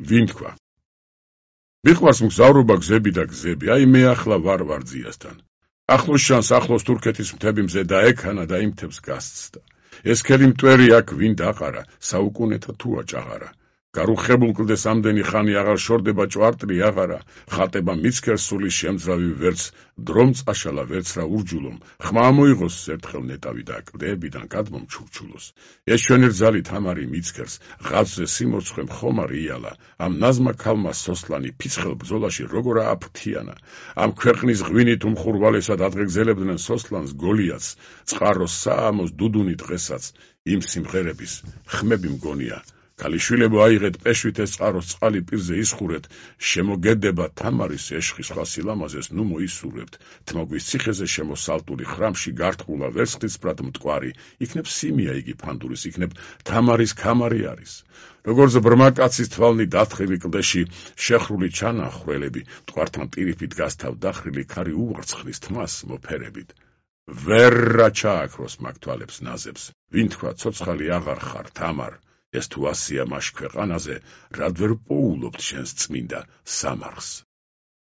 ვინ თქვა? მიყვარს მგზავრობა გზები და გზები, აი მე ახლა ვარ ვარძიასთან. ახლოს შანს ახლოს თურქეთის მთები მზე და ექანა და იმ მთებს გასცდა. ეს ქელი მტვერი აქ ვინ დაყარა, საუკუნეთა თუ აჭაღარა. გარუხებულ კლდეს ამდენი ხანი აღარ შორდება ჭვარტლი აღარა, ხატება მიცქერს სულის შემძრავი ვერც, დრომ წაშალა ვერც რა ურჯულომ, ხმა მოიღოს ერთხელ ნეტავი და კლდებიდან გადმომ ჩურჩულოს. ეს ჩვენი რძალი თამარი მიცქერს, ღაცზე სიმორცხვე მხომარი იალა, ამ ნაზმა ქალმა სოსლანი ფიცხელ ბრძოლაში როგორ ააფრთიანა, ამ ქვეყნის ღვინით უმხურვალესად ადღეგზელებდნენ სოსლანს გოლიათს, წყაროს საამოს დუდუნი დღესაც, იმ სიმღერების ხმები მგონია. ქალიშვილებო აიღეთ პეშვით ეს წყაროს წყალი პირზე ისხურეთ, შემოგედება თამარის ეშხი სხვა სილამაზეს ნუ მოისურვებთ, თმოგვის ციხეზე შემოსალტული ხრამში გარტყულა ვერცხლისფრად მტკვარი, იქნებ სიმია იგი ფანდურის, იქნებ თამარის ქამარი არის. როგორც ბრმა კაცის თვალნი დათხილი კლდეში, შეხრული ჩანა ხვრელები, მტკვართან ტირიფით გასთავ დახრილი ქარი უვრცხლის თმას მოფერებით. ვერ რა ჩააქროს მაგ თვალებს ნაზებს, ვინ თქვა ცოცხალი აღარ ხარ თამარ, ეს თუ ასია მაშ ქვეყანაზე, რად ვერ პოულობთ შენს წმინდა სამარხს.